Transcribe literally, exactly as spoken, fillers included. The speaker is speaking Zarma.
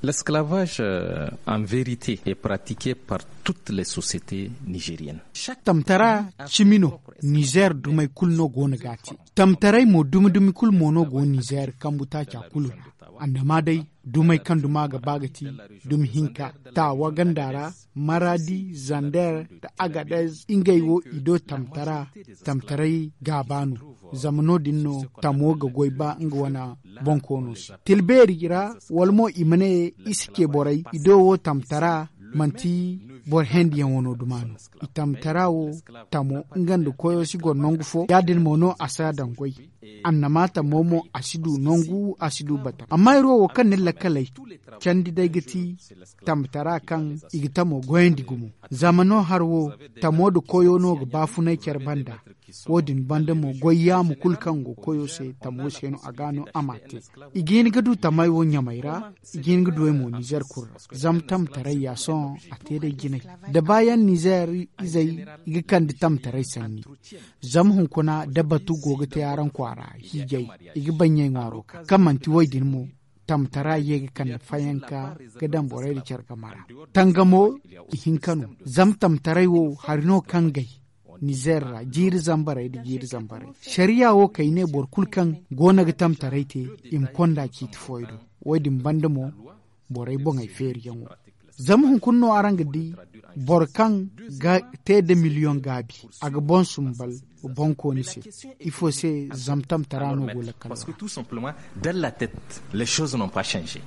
L'esclavage, euh, en vérité, est pratiqué par toutes les sociétés nigériennes. Tamtara cimi no, nizeer dumey kulu no go no ga a te. Tamtaray mo dumi-dumi kulu mo no go nizeer kambu taaca kulu ra. Annama day, dumey kaŋ duma ga ba ga ti dumi hinka, taawa ganda ra, maradi, zander, nda agadez, ngey wo i do tamtara. Tamtaray gaaba no, zama no- din no tamo ga goy ba nga wane bonkoono se. Tilbeeri ra, wala mo i ma ne, i si ce borey i do wo tamtara, manti boro hendiyaŋ wano duma no. I tamtara wo, tamo nga nda koyo si goro nangu fo, ya- din mo no a si a daŋ goy. Annama tamo mo, a si du nangu, a si du bata. Amma iri wo wo kaŋ na iri lakkaley candi day ga ti tamtara kaŋ i ga tamo goyandi gumo. Zama no hari wo, tamo nda koyo no ga baafunay care banda. Wo- din banda mo, goy yaamu kulu kaŋ go koyo se, tamo se no a ga no a m'a te. I ga hin ga du tamey wo ɲamey ra, i ga hin ga du ey mo nizeer kulu ra. Zama tamtaray ya sohõ, a te day jinay. Da baayaŋ nizeer izey, i ga kande tamtaray sanni. Zama hunkuna da batu go ga te araŋ kwaara hiijay, i ga baɲɲay ŋwaaro ka kaŋ manti wo- din mo. Tamtara ye ga kande fayanka ga daŋ borey nda care game ra. Tangamo, i hinka no. Zama tamtaray wo, hari no kaŋ gay nizeer ra, jiiri zambarey nda jiiri zambarey. Sariya wo kay ne boro kulu kaŋ go no ga tamtaray te, i ma konda ciiti fooyaŋ do. Wo- din banda mo, borey boŋey feeriyaŋo. Zama hunkuna no araŋ ga di, boro kaŋ ga te nda miliyoŋ gaabi, a ga boŋ sumbal boŋkooni se. Ifo se? Zama tamtara no go lakkal ra. Parce que tout simplement, dans la tête, les choses n'ont pas changé.